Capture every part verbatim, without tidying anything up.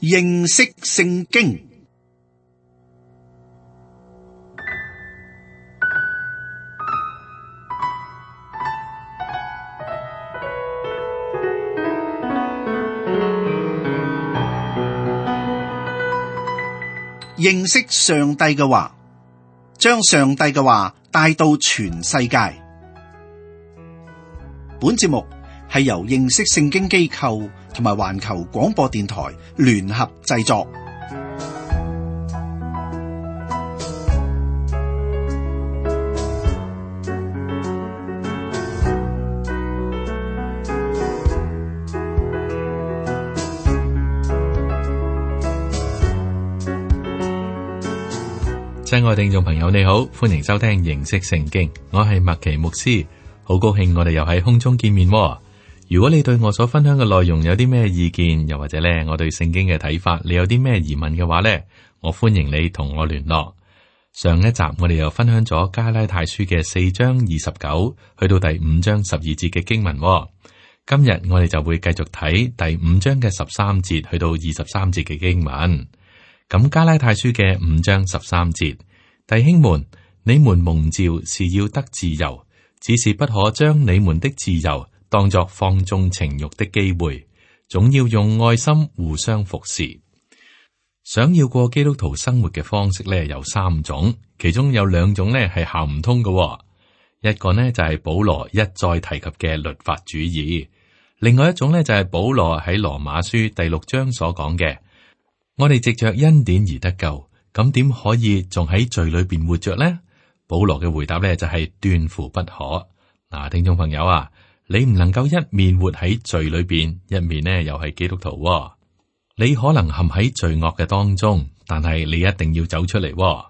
認識聖經。認識上帝嘅話，將上帝嘅話帶到全世界。本節目係由認識聖經機構同埋環球廣播電台聯合製作。親愛聽眾朋友，你好，歡迎收聽認識聖經，我係麥奇牧師，好高興我哋又喺空中見面。如果你對我所分享嘅內容有啲咩意見，又或者咧我對聖經嘅睇法，你有啲咩疑問嘅話咧，我歡迎你同我聯絡。上一集我哋又分享咗加拉太書嘅四章二十九去到第五章十二節嘅經文，今日我哋就會繼續睇第五章嘅十三節去到二十三節嘅經文。咁加拉太書嘅五章十三節，弟兄們，你們蒙召是要得自由，只是不可將你們的自由當作放縱情慾的機會，總要用愛心互相服侍。想要過基督徒生活嘅方式咧有三種，其中有兩種咧係行唔通嘅。一個呢就係保羅一再提及嘅律法主義，另外一種咧就係保羅喺羅馬書第六章所講嘅。我哋藉着恩典而得救，咁點可以仲喺罪裏邊活着呢？保羅嘅回答咧就係斷乎不可。嗱，聽眾朋友啊，你唔能夠一面活喺罪裏邊，一面呢又係基督徒喎。你可能陷喺罪惡嘅當中，但係你一定要走出嚟喎。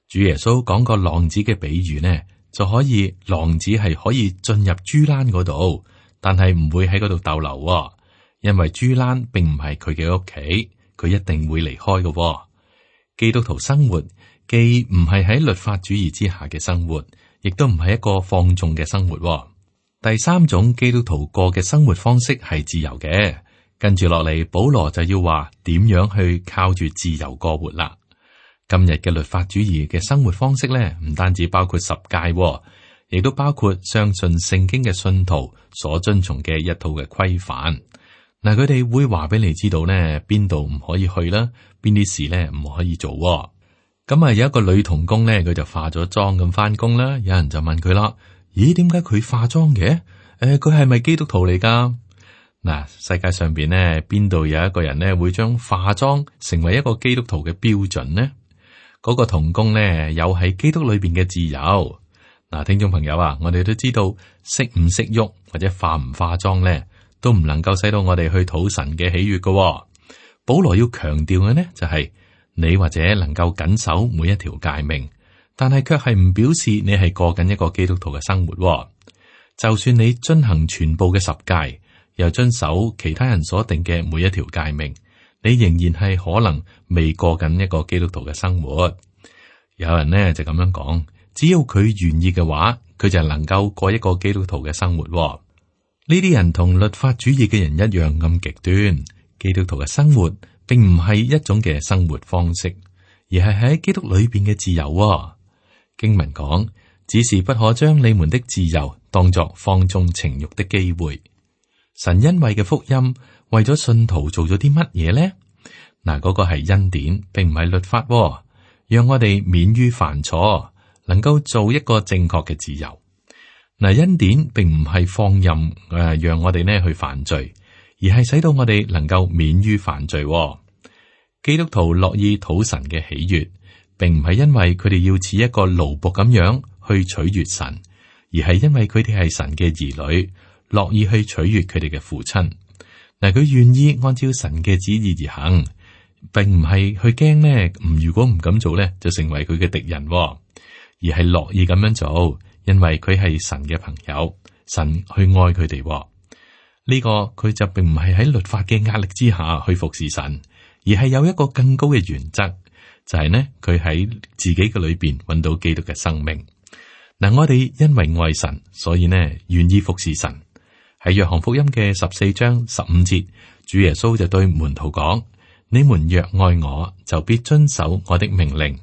主耶穌講個浪子嘅比喻呢，就可以浪子係可以進入豬欄嗰度，但係唔會喺嗰度逗留喎，因為豬欄並唔係佢嘅屋企。佢一定會離開嘅喎。基督徒生活既唔係喺律法主義之下嘅生活，亦都唔係一個放縱嘅生活喎。第三種基督徒過嘅生活方式係自由嘅。跟住落嚟，保羅就要話點樣去靠住自由過活啦。今日嘅律法主義嘅生活方式咧，唔單止包括十誡喎，亦都包括相信聖經嘅信徒所遵從嘅一套嘅規範。嗱，佢哋會話俾你知道呢，邊度唔可以去啦，邊啲事呢唔可以做。咁啊，有一個女童工呢，佢就化咗妝咁翻工啦。有人就問佢啦：咦，點解佢化妝嘅？誒、呃，佢係咪基督徒嚟噶？嗱，世界上邊呢，邊度有一個人呢會將化妝成為一個基督徒嘅標準呢？嗰、那個童工呢，有喺基督裏邊嘅自由。嗱，聽眾朋友啊，我哋都知道識唔識喐或者化唔化妝呢，都唔能夠使到我哋去討神嘅喜悅嘅、哦。保羅要強調嘅呢，就係、是、你或者能夠謹守每一條誡命，但係卻係唔表示你係過緊一個基督徒嘅生活、哦。就算你遵行全部嘅十誡，又遵守其他人所定嘅每一條誡命，你仍然係可能未過緊一個基督徒嘅生活。有人呢就咁樣講，只要佢願意嘅話，佢就能夠過一個基督徒嘅生活、哦。呢啲人同律法主義嘅人一樣咁極端。基督徒嘅生活並唔係一種嘅生活方式，而係喺基督裏邊嘅自由、哦。經文講，只是不可將你們的自由當作放縱情慾的機會。神恩惠嘅福音為咗信徒做咗啲乜嘢呢？嗱，嗰個係恩典，並唔係律法、哦，讓我哋免於犯錯，能夠做一個正確嘅自由。嗱，恩典並唔係放任誒、呃，讓我哋呢去犯罪，而係使到我哋能夠免於犯罪、哦。基督徒樂意討神嘅喜悅，並唔係因為佢哋要似一個奴僕咁樣去取悅神，而係因為佢哋係神嘅兒女，樂意去取悅佢哋嘅父親。嗱，佢願意按照神嘅旨意而行，並唔係去驚呢，唔如果唔咁做呢，就成為佢嘅敵人、哦，而係樂意咁樣做。因為佢係神嘅朋友，神去愛佢哋、哦，呢、這個佢就並唔係喺律法嘅壓力之下去服侍神，而係有一個更高嘅原則，就係、是、呢佢喺自己嘅裏邊揾到基督嘅生命。嗱，我哋因為愛神，所以呢願意服侍神。喺約翰福音嘅十四章十五節，主耶穌就對門徒講：你們若愛我，就必遵守我的命令。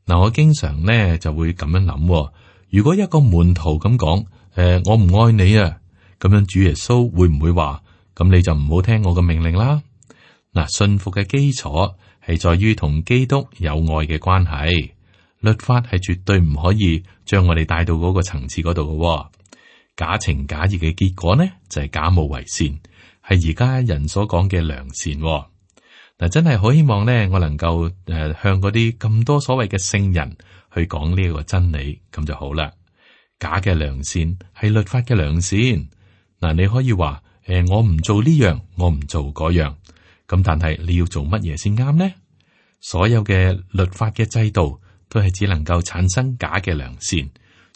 嗱，我經常呢就會咁樣諗，如果一個門徒咁講，誒、呃，我唔愛你啊，咁樣主耶穌會唔會話，咁你就唔好聽我嘅命令啦？嗱，信服嘅基礎係在於同基督有愛嘅關係，律法係絕對唔可以將我哋帶到嗰個層次嗰度嘅。假情假意嘅結果呢，就係、是、假冒為善，係而家人所講嘅良善。嗱，真係好希望呢，我能夠誒向嗰啲咁多所謂嘅聖人去講呢一個真理，咁就好啦。假嘅良善係律法嘅良善。嗱，你可以話誒，我唔做呢樣，我唔做嗰樣。咁但係你要做乜嘢先啱呢？所有嘅律法嘅制度都係只能夠產生假嘅良善，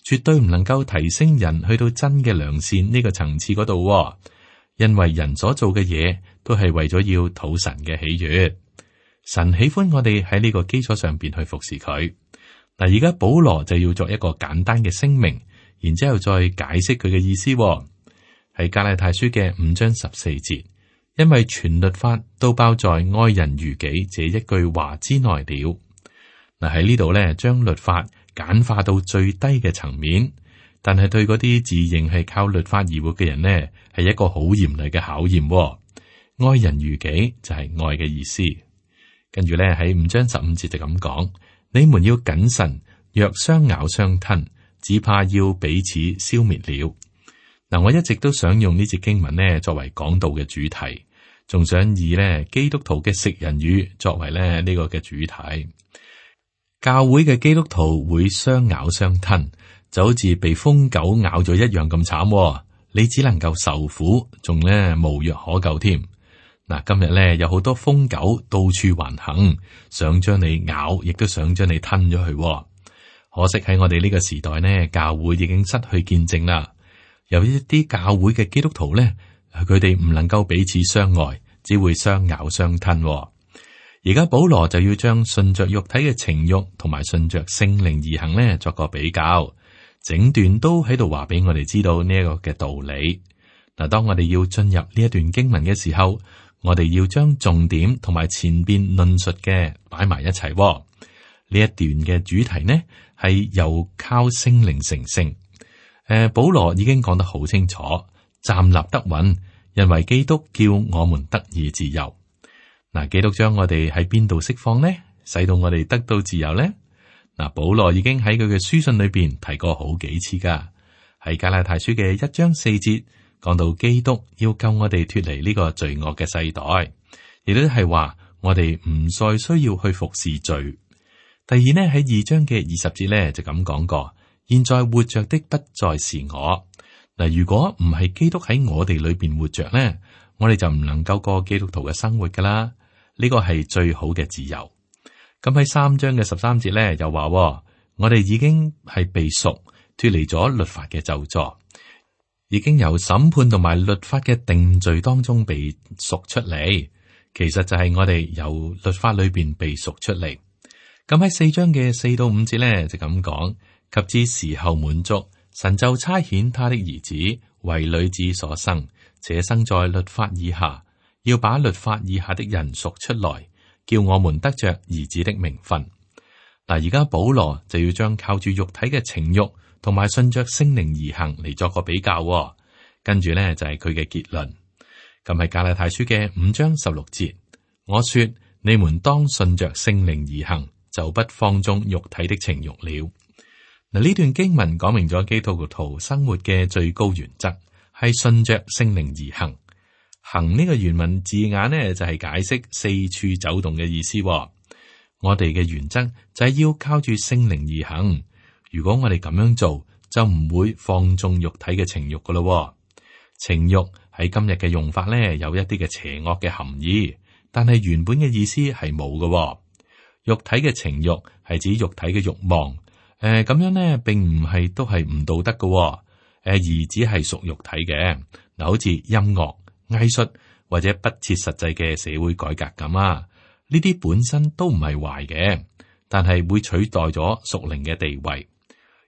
絕對唔能夠提升人去到真嘅良善呢個層次嗰度。因為人所做嘅嘢都係為咗要討神嘅喜悅，神喜歡我哋喺呢個基礎上邊去服侍佢。嗱，而家保羅就要作一個簡單嘅聲明，然之後再解釋佢嘅意思。係加拉太書嘅五章十四節。因為全律法都包在愛人如己這一句話之內了。嗱，喺呢度咧，將律法簡化到最低嘅層面，但係對嗰啲自認係靠律法而活嘅人呢，係一個好嚴厲嘅考驗。愛人如己就係愛嘅意思。跟住咧喺五章十五節就咁講：你們要謹慎，若相咬相吞，只怕要彼此消滅了。嗱，我一直都想用呢節經文呢作為講道嘅主題。仲想以咧基督徒嘅食人魚作為咧呢個嘅主題。教會嘅基督徒會相咬相吞，就好似被瘋狗咬咗一樣咁慘。你只能夠受苦，仲咧無藥可救添。嗱，今日咧有好多瘋狗到處橫行，想將你咬，亦都想將你吞咗去。可惜喺我哋呢個時代呢，教會已經失去見證啦。有一啲教會嘅基督徒咧。佢哋唔能夠彼此相愛，只會相咬相吞。而家保羅就要將順着肉體嘅情慾同埋順着聖靈而行呢作個比較，整段都喺度話俾我哋知道呢一個嘅道理。嗱，當我哋要進入呢一段經文嘅時候，我哋要將重點同埋前邊論述嘅擺埋一齊。呢一段嘅主題呢係由靠聖靈成聖。誒，保羅已經講得好清楚。站立得穩，因為基督叫我們得以自由。嗱，基督將我哋喺邊度釋放呢？使到我哋得到自由呢？嗱，保羅已經喺佢嘅書信裏邊提過好幾次噶，喺加拉太書嘅一章四節講到基督要救我哋脫離呢個罪惡嘅世代，亦都係話我哋唔再需要去服侍罪。第二呢，喺二章嘅二十節咧就咁講過，現在活着的不再是我。嗱，如果唔係基督喺我哋裏邊活着咧，我哋就唔能夠過基督徒嘅生活噶啦。呢個係最好嘅自由。咁喺三章嘅十三節咧，又話我哋已經係被贖，脫離咗律法嘅咒詛，已經由審判同埋律法嘅定罪當中被贖出嚟。其實就係我哋由律法裏邊被贖出嚟。咁喺四章嘅四到五節咧，就咁講，及至時候滿足。神就差遣他的兒子為女子所生，且生在律法以下，要把律法以下的人贖出來，叫我們得着兒子的名分。嗱，而家保羅就要將靠住肉體嘅情慾同埋順着聖靈而行嚟作個比較，跟住呢，就係佢嘅結論。咁係加拉太書嘅五章十六節，我說你們當順着聖靈而行，就不放縱肉體的情慾了。嗱，呢段經文講明咗基督徒生活嘅最高原則係順着聖靈而行。行呢個原文字眼呢，就係解釋四處走動嘅意思。我哋嘅原則就係要靠住聖靈而行。如果我哋咁樣做，就唔會放縱肉體嘅情慾噶咯。情慾喺今日嘅用法呢，有一啲嘅邪惡嘅含義，但係原本嘅意思係冇嘅。肉體嘅情慾係指肉體嘅慾望。誒，咁、呃、樣咧，並唔係都係唔道德嘅、哦，誒、呃，而只係屬肉體嘅。嗱，好似音樂、藝術或者不切實際嘅社會改革咁啊，呢啲本身都唔係壞嘅，但係會取代咗屬靈嘅地位。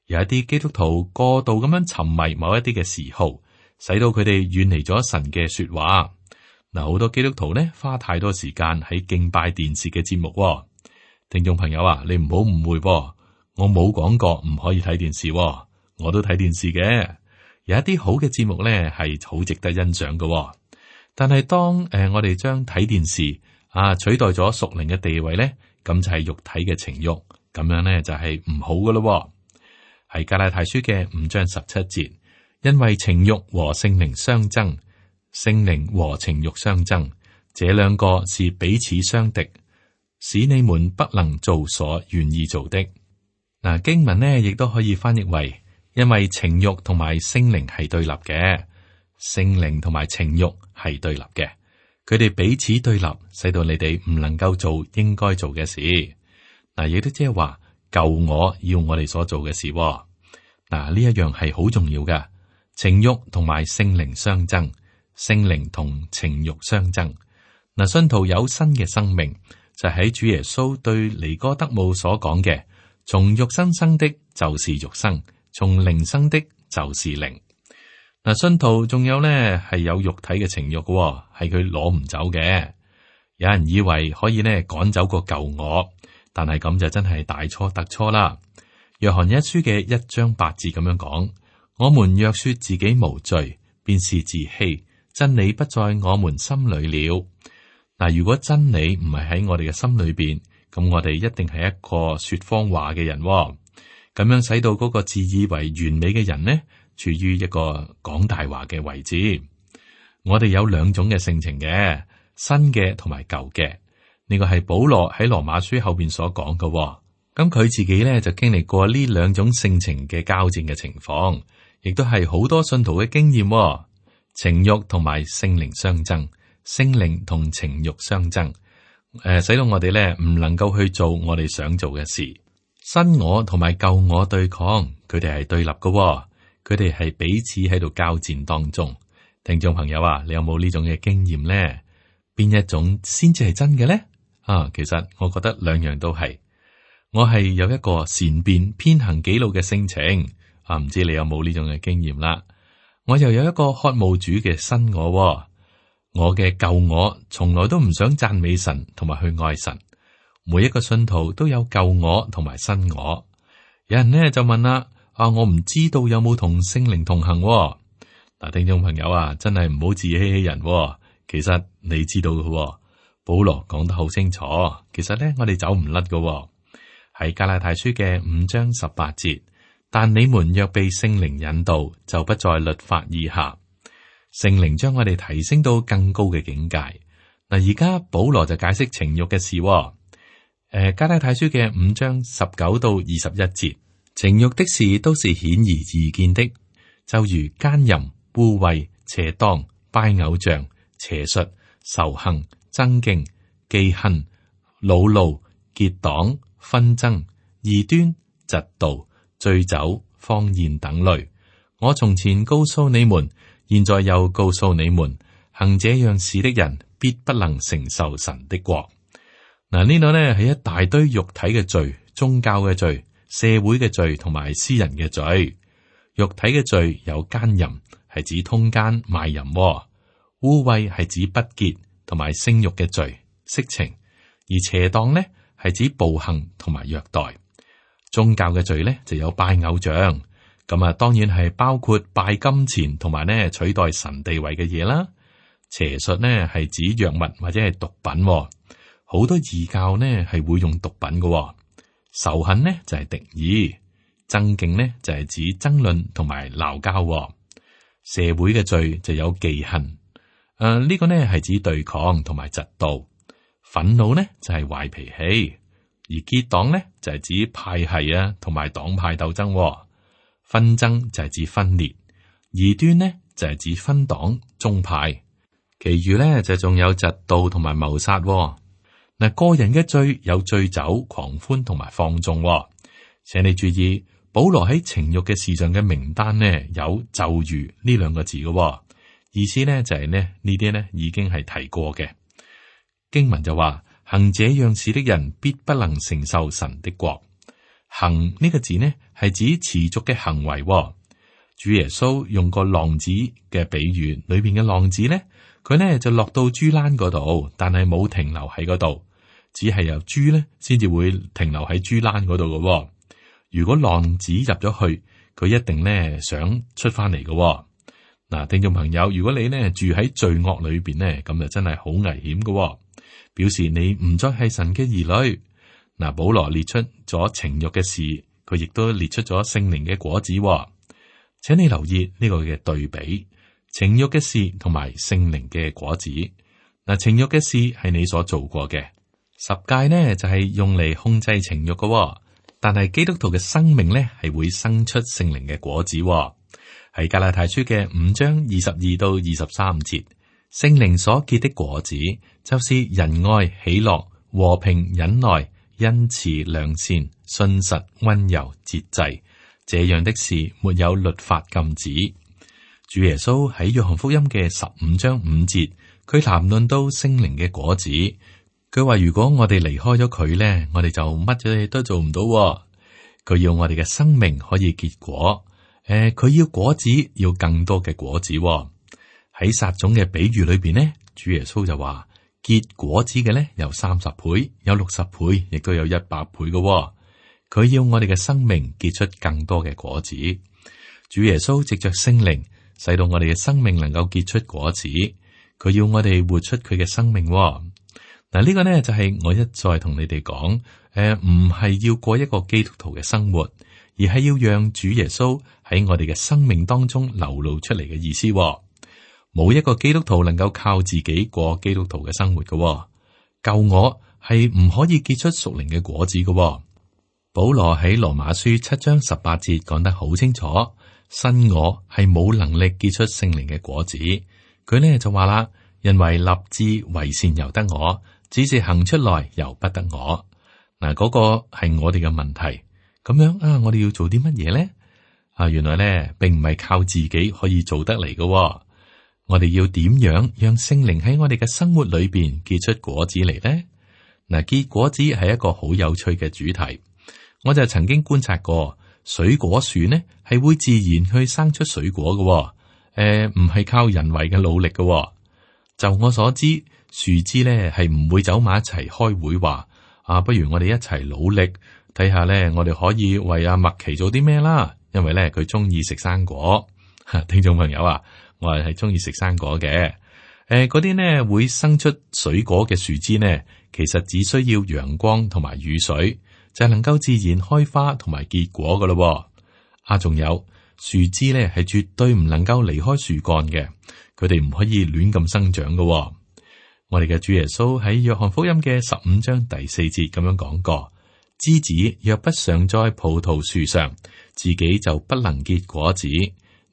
有一啲基督徒過度咁樣沉迷某一啲嘅嗜好，使到佢哋遠離咗神嘅說話。嗱，好多基督徒呢花太多時間喺敬拜電視嘅節目喎。聽眾朋友啊，你唔好誤會喎，我冇講過唔可以睇電視喎，我都睇電視嘅。有一啲好嘅節目呢係好值得欣賞嘅喎。但係當誒、呃、我哋將睇電視啊取代咗屬靈嘅地位呢，咁就係肉體嘅情欲，咁樣呢就係唔好嘅咯。係加拉太書嘅五章十七節，因為情欲和聖靈相爭，聖靈和情欲相爭，這兩個是彼此相敵，使你們不能做所願意做的。嗱，經文呢亦都可以翻譯為，因為情欲同埋聖靈係對立嘅，聖靈同埋情欲係對立嘅，佢哋彼此對立，使到你哋唔能夠做應該做嘅事。嗱，亦都即係話。舊我要我哋所做嘅事，嗱，呢一樣係好重要嘅。情欲同埋聖靈相爭，聖靈同情欲相爭。嗱，信徒有新嘅生命，就喺主耶穌對尼哥德慕所講嘅：從肉身生的，就是肉身；從靈生的，就是靈。嗱，信徒仲有呢係有肉體嘅情欲嘅，係佢攞唔走嘅。有人以為可以呢趕走個舊我。但係咁就真係大錯特錯啦。約翰一書嘅一章八字咁樣講：我們若說自己無罪，便是自欺，真理不在我們心裏了。嗱，如果真理唔係喺我哋嘅心裏邊，咁我哋一定係一個說謊話嘅人。咁樣使到嗰個自以為完美嘅人呢，處於一個講大話嘅位置。我哋有兩種嘅性情嘅，新嘅同埋舊嘅。呢個係保羅喺羅馬書後邊所講嘅。咁佢自己咧就經歷過呢兩種性情嘅交戰嘅情況，亦都係好多信徒嘅經驗。情欲同埋聖靈相爭，聖靈同情欲相爭，誒、呃，使到我哋咧唔能夠去做我哋想做嘅事。新我同埋舊我對抗，佢哋係對立嘅，佢哋係彼此喺度交戰當中。聽眾朋友啊，你有冇呢種嘅經驗咧？邊一種先至係真嘅咧？啊，其實我覺得兩樣都係。我係有一個善變偏行己路嘅性情，啊，唔知你有冇呢種嘅經驗啦？我又有一個渴慕主嘅新我，我嘅舊我從來都唔想讚美神同埋去愛神。每一個信徒都有舊我同埋新我。有人呢就問啦：啊，我唔知道有冇同聖靈同行？嗱，聽眾朋友啊，真係唔好自欺欺人。其實你知道嘅。保羅講得好清楚，其實咧我哋走唔甩嘅，係加拉太書嘅五章十八節。但你們若被聖靈引導，就不在律法以下。聖靈將我哋提升到更高嘅境界。嗱，而家保羅就解釋情欲嘅事。誒、呃，加拉太書嘅五章十九到二十一節，情欲的事都是顯而易見的，就如奸淫、污穢、邪蕩、拜偶像、邪術、仇恨、爭競、忌恨、惱怒、結黨、紛爭、異端、嫉妒、醉酒、荒宴等類。我從前告訴你們，現在又告訴你們，行這樣事的人，必不能承受神的國。嗱，呢度呢係一大堆肉體嘅罪、宗教嘅罪、社會嘅罪同埋私人嘅罪。肉體嘅罪有奸淫，係指通姦賣淫；污穢係指不潔同埋性欲嘅罪、色情；而邪蕩呢係指暴行同埋虐待。宗教嘅罪呢就有拜偶像，咁啊當然係包括拜金錢同埋呢取代神地位嘅嘢啦。邪術呢係指藥物或者係毒品，好多異教呢係會用毒品嘅。仇恨呢就係敵意，爭競呢就係指爭論同埋鬧交。社會嘅罪就有忌恨，誒、呃、呢、這個呢係指對抗同埋嫉妒。憤怒呢就係壞脾氣。而結黨咧就係、是、指派系啊，同埋黨派鬥爭；紛爭就係指分裂；異端呢就係、是、指分黨宗派。其餘咧就仲有嫉妒同埋謀殺。嗱，個人嘅罪有醉酒、狂歡同埋放縱。請你注意，保羅喺情欲嘅事上嘅名單呢有就如呢兩個字嘅意思呢，就係、是、呢呢啲呢已經係提過嘅經文就話。行這樣事的人，必不能承受神的國。行呢個字呢，係指持續嘅行為。主耶穌用個浪子嘅比喻，裏邊嘅浪子呢，佢呢就落到豬欄嗰度，但係冇停留喺嗰度，只係由豬呢先至會停留喺豬欄嗰度嘅。如果浪子入咗去，佢一定呢想出翻嚟嘅。嗱，聽眾朋友，如果你呢住喺罪惡裏邊呢，咁就真係好危險嘅，表示你唔再係神嘅兒女。嗱，保羅列出咗情欲嘅事，佢亦都列出咗聖靈嘅果子。請你留意呢個嘅對比，情欲嘅事同埋聖靈嘅果子。嗱，情欲嘅事係你所做過嘅，十誡呢就係用嚟控制情欲嘅，但係基督徒嘅生命呢係會生出聖靈嘅果子。喺加拉太書嘅五章二十二到二十三節，聖靈所結的果子就是仁愛、喜樂、和平、忍耐、恩慈、良善、信實、溫柔、節制，這樣的事沒有律法禁止。主耶穌喺約翰福音嘅十五章五節，佢談論到聖靈嘅果子，佢話如果我哋離開咗佢咧，我哋就乜嘢都做唔到。佢要我哋嘅生命可以結果，誒、呃，佢要果子要更多嘅果子。喺撒種嘅比喻裏邊呢，主耶穌就話結果子嘅咧有三十倍，有六十倍，亦都有一百倍嘅。佢要我哋嘅生命結出更多嘅果子。主耶穌藉着聖靈，使到我哋嘅生命能夠結出果子。佢要我哋活出佢嘅生命。嗱，呢個呢就係我一再同你哋講，誒，唔係要過一個基督徒嘅生活，而係要讓主耶穌喺我哋嘅生命當中流露出嚟嘅意思。冇一個基督徒能夠靠自己過基督徒嘅生活嘅。救我係唔可以結出屬靈嘅果子嘅。保羅喺羅馬書七章十八節講得好清楚，新我係冇能力結出聖靈嘅果子。佢呢就話啦，因為立志為善由得我，只是行出來由不得我。嗱，嗰個係我哋嘅問題。咁樣啊，我哋要做啲乜嘢呢？啊，原來呢並唔係靠自己可以做得嚟嘅。我哋要點樣讓聖靈喺我哋嘅生活裏邊結出果子嚟呢？嗱，結果子係一個好有趣嘅主題。我就曾經觀察過，水果樹呢係會自然去生出水果嘅。誒、呃，唔係靠人為嘅努力嘅。就我所知，樹枝呢係唔會走埋一齊開會話啊，不如我哋一齊努力睇下呢，我哋可以為阿麥琪做啲咩啦？因為呢，佢中意食生果。聽眾朋友啊，我係係中意食生果嘅。誒、呃，嗰啲呢會生出水果嘅樹枝呢，其實只需要陽光同埋雨水，就係能夠自然開花同埋結果噶咯。啊，仲有樹枝咧，係絕對唔能夠離開樹幹嘅，佢哋唔可以亂咁生長噶。我哋嘅主耶穌喺約翰福音嘅十五章第四節咁樣講過：枝子若不常在葡萄樹上，自己就不能結果子；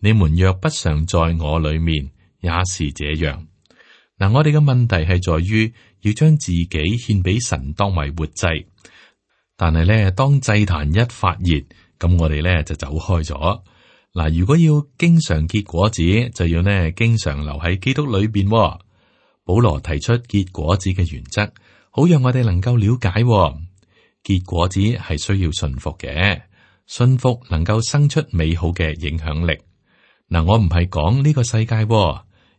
你們若不常在我裏面，也是這樣。嗱，我哋嘅問題係在於要將自己獻俾神當為活祭。但係咧，當祭壇一發熱，咁我哋咧就走開咗。嗱，如果要經常結果子，就要呢經常留喺基督裏邊。保羅提出結果子嘅原則，好讓我哋能夠了解。結果子係需要信服嘅，信服能夠生出美好嘅影響力。嗱，我唔係講呢個世界，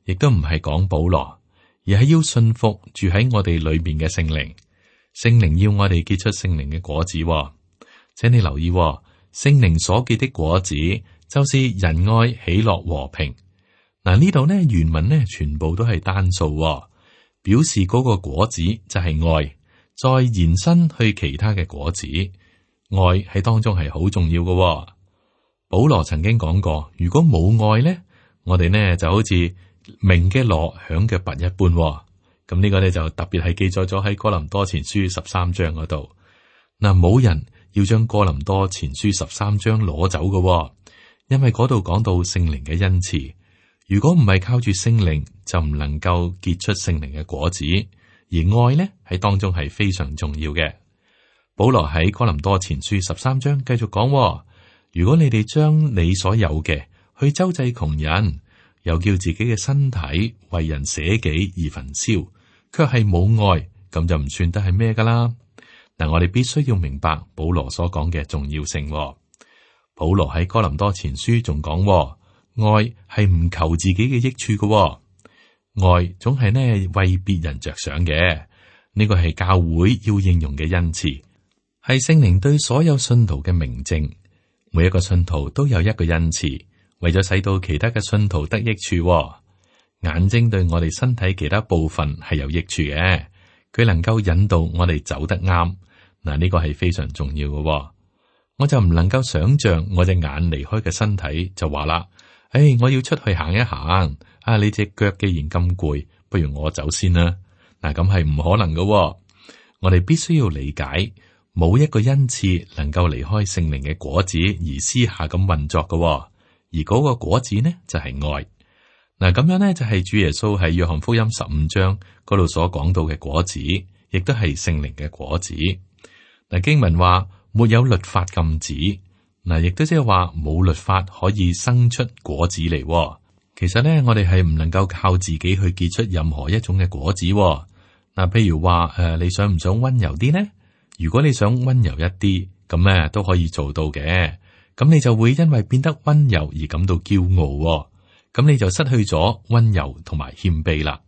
亦都唔係講保羅，而係要信服住喺我哋裏邊嘅聖靈。聖靈要我哋結出聖靈嘅果子。請你留意，聖靈所結的果子就是仁愛、喜樂、和平。嗱，呢度呢原文呢全部都係單數，表示嗰個果子就係愛，再延伸去其他嘅果子。愛喺當中係好重要嘅。保羅曾經講過，如果冇愛呢，我哋呢就好似鳴嘅鑼、響嘅鈸一般。咁呢個咧就特別係記載咗喺哥林多前書十三章嗰度。嗱，冇人要將哥林多前書十三章攞走嘅，因為嗰度講到聖靈嘅恩賜。如果唔係靠住聖靈，就唔能夠結出聖靈嘅果子。而愛呢喺當中係非常重要嘅。保羅喺哥林多前書十三章繼續講：如果你哋將你所有嘅去周濟窮人，又叫自己嘅身體為人捨己而焚燒，卻係冇愛，咁就唔算得係咩噶啦。嗱，我哋必須要明白保羅所講嘅重要性。保羅喺哥林多前書仲講，愛係唔求自己嘅益處嘅，愛總係呢為別人着想嘅，呢個係教會要應用嘅恩賜，係聖靈對所有信徒嘅明證。每一個信徒都有一個恩賜，為咗使到其他嘅信徒得益處。眼睛對我哋身體其他部分係有益處嘅，佢能夠引導我哋走得啱。嗱，呢個係非常重要嘅。我就唔能夠想象我隻眼離開嘅身體就話啦，誒，我要出去行一行。啊，你隻腳既然咁攰，不如我走先啦。嗱，咁係唔可能嘅。我哋必須要理解，冇一個恩賜能夠離開聖靈嘅果子而私下咁運作嘅。而嗰個果子呢，就係愛。嗱，咁樣呢，就係主耶穌喺約翰福音十五章嗰度所講到嘅果子，亦都係聖靈嘅果子。嗱，經文話沒有律法禁止，嗱，亦都即係話冇律法可以生出果子嚟。其實咧，我哋係唔能夠靠自己去結出任何一種嘅果子。嗱，譬如話誒、呃，你想唔想溫柔啲呢？如果你想溫柔一啲，咁咧都可以做到嘅。咁你就會因為變得溫柔而感到驕傲，咁你就失去咗溫柔同埋謙卑啦。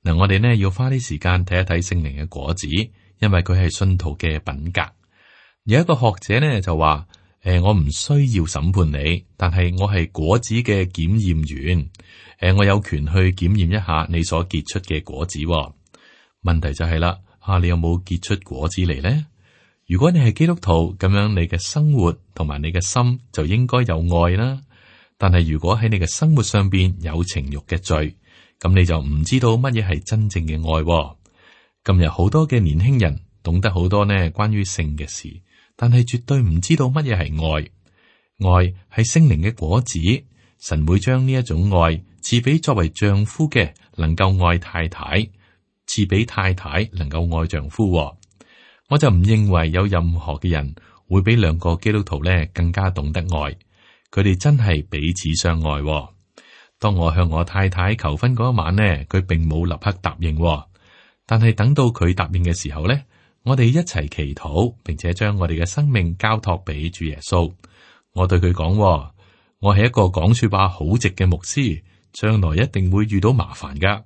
嗱，我哋呢要花啲時間睇一睇聖靈嘅果子，因為佢係信徒嘅品格。有一個學者呢就話：誒、呃，我唔需要審判你，但係我係果子嘅檢驗員。誒、呃，我有權去檢驗一下你所結出嘅果子。問題就係啦，啊，你有冇結出果子嚟呢？如果你係基督徒，咁樣你嘅生活同埋你嘅心就應該有愛啦。但係如果喺你嘅生活上邊有情欲嘅罪，咁你就唔知道乜嘢係真正嘅愛。今日好多嘅年輕人懂得好多呢關於性嘅事，但係絕對唔知道乜嘢係愛。愛係聖靈嘅果子，神會將呢一種愛賜俾作為丈夫嘅，能夠愛太太，賜俾太太能夠愛丈夫。我就唔認為有任何嘅人會比兩個基督徒咧更加懂得愛。佢哋真係彼此相愛。當我向我太太求婚嗰一晚呢，佢並冇立刻答應，但係等到佢答應嘅時候呢，我哋一齊祈禱，並且將我哋嘅生命交託俾主耶穌。我對佢講：我係一個講說話好直嘅牧師，將來一定會遇到麻煩噶。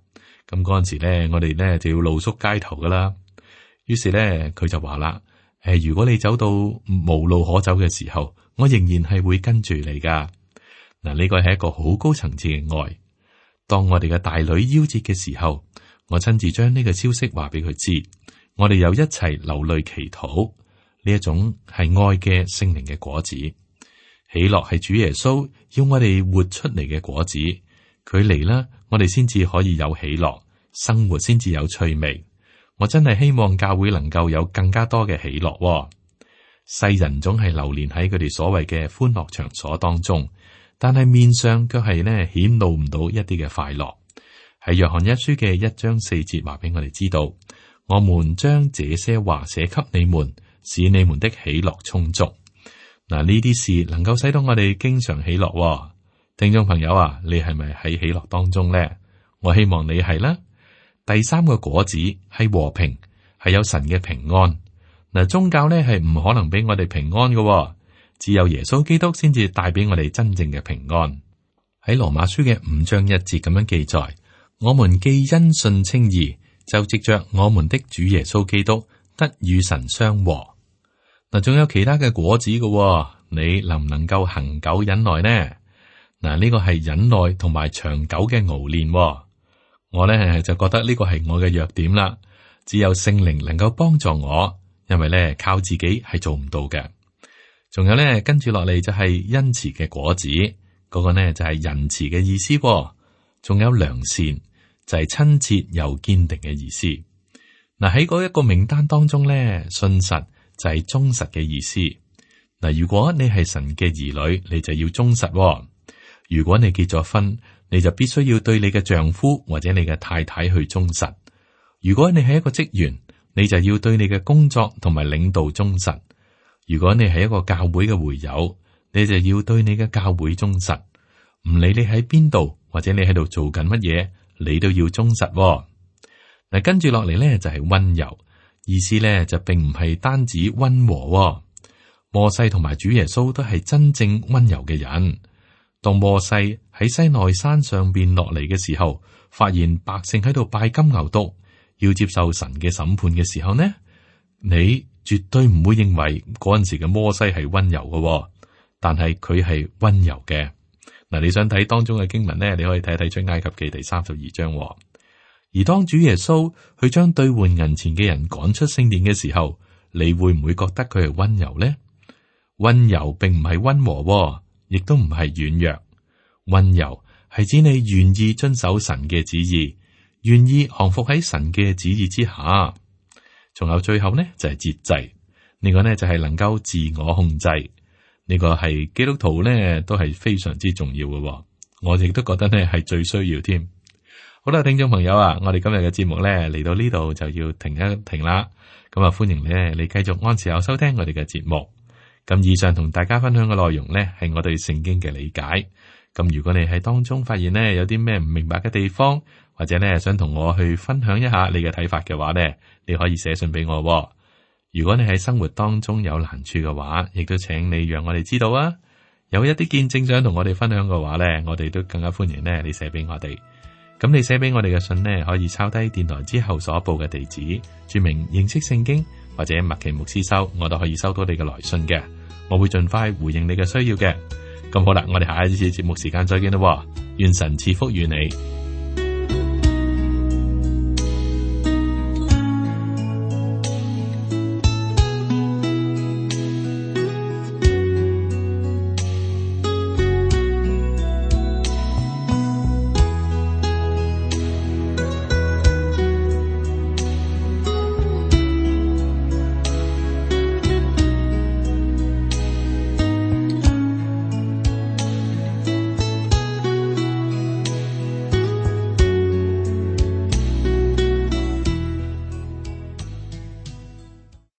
咁嗰陣時咧，我哋咧就要露宿街頭噶啦。於是咧，佢就話啦：誒，如果你走到無路可走嘅時候，我仍然係會跟住你噶。嗱，呢個係一個好高層次嘅愛。當我哋嘅大女夭折嘅時候，我親自將呢個消息話俾佢知，我哋又一齊流淚祈禱。呢一種係愛嘅聖靈嘅果子，喜樂係主耶穌要我哋活出嚟嘅果子。佢嚟啦，我哋先至可以有喜樂，生活先至有趣味。我真係希望教會能夠有更加多嘅喜樂。世人總係流連喺佢哋所謂嘅歡樂場所當中，但係面上卻係呢顯露唔到一啲嘅快樂。喺約翰一書嘅一章四節話俾我哋知道，我們將這些話寫給你們，使你們的喜樂充足。嗱，呢啲事能夠使到我哋經常喜樂。聽眾朋友啊，你係咪喺喜樂當中呢？我希望你係啦。第三個果子係和平，係有神嘅平安。嗱，宗教咧係唔可能俾我哋平安嘅，只有耶穌基督先至帶俾我哋真正嘅平安。喺羅馬書嘅五章一節咁樣記載：我們既因信稱義，就藉着我們的主耶穌基督得與神相和。嗱，仲有其他嘅果子嘅，你能唔能夠恆久忍耐呢？嗱，呢個係忍耐同埋長久嘅熬練。我咧就覺得呢個係我嘅弱點啦，只有聖靈能夠幫助我，因為咧靠自己係做唔到嘅。仲有咧跟住落嚟就係恩慈嘅果子，嗰、那個呢就係仁慈嘅意思。仲有良善，就係親切又堅定嘅意思。嗱，喺嗰一個名單當中咧，信實就係忠實嘅意思。嗱，如果你係神嘅兒女，你就要忠實。如果你結咗婚，你就必須要對你嘅丈夫或者你嘅太太去忠實。如果你係一個職員，你就要對你嘅工作同埋領導忠實。如果你係一個教會嘅會友，你就要對你嘅教會忠實。唔理你喺邊度或者你喺度做緊乜嘢，你都要忠實。嗱，跟住落嚟咧就係溫柔，意思咧就並唔係單止溫和。摩西同埋主耶穌都係真正溫柔嘅人。當摩西喺西奈山上邊落嚟嘅時候，發現百姓喺度拜金牛犢，要接受神嘅審判嘅時候呢，你絕對唔會認為嗰陣時嘅摩西係溫柔嘅，但係佢係溫柔嘅。嗱，你想睇當中嘅經文呢，你可以睇睇出埃及記第三十二章。而當主耶穌去將兌換銀錢嘅人趕出聖殿嘅時候，你會唔會覺得佢係溫柔呢？溫柔並唔係溫和，亦都唔係軟弱。溫柔係指你願意遵守神嘅旨意，願意降服喺神嘅旨意之下。仲有最後呢，就係節制，呢個呢，就係能夠自我控制。呢個係基督徒呢，都係非常之重要嘅。我亦都覺得呢係最需要添。好啦，聽眾朋友啊，我哋今日嘅節目呢，嚟到呢度就要停一停啦。咁啊，歡迎咧你繼續按時候收聽我哋嘅節目。咁以上同大家分享嘅內容呢，係我對聖經嘅理解。咁如果你喺當中發現呢，有啲咩唔明白嘅地方，或者呢想同我去分享一下你嘅睇法嘅話呢，你可以寫信俾我。如果你喺生活當中有難處嘅話，亦都請你讓我哋知道啊。有一啲見證想同我哋分享嘅話呢，我哋都更加歡迎呢你寫俾我哋。咁你寫俾我哋嘅信呢，可以抄低電台之後所報嘅地址，注明認識聖經或者麥奇牧師收，我都可以收到你嘅來信嘅。我會盡快回應你嘅需要嘅。咁好啦，我哋下一次節目時間再見啦。願神賜福與你。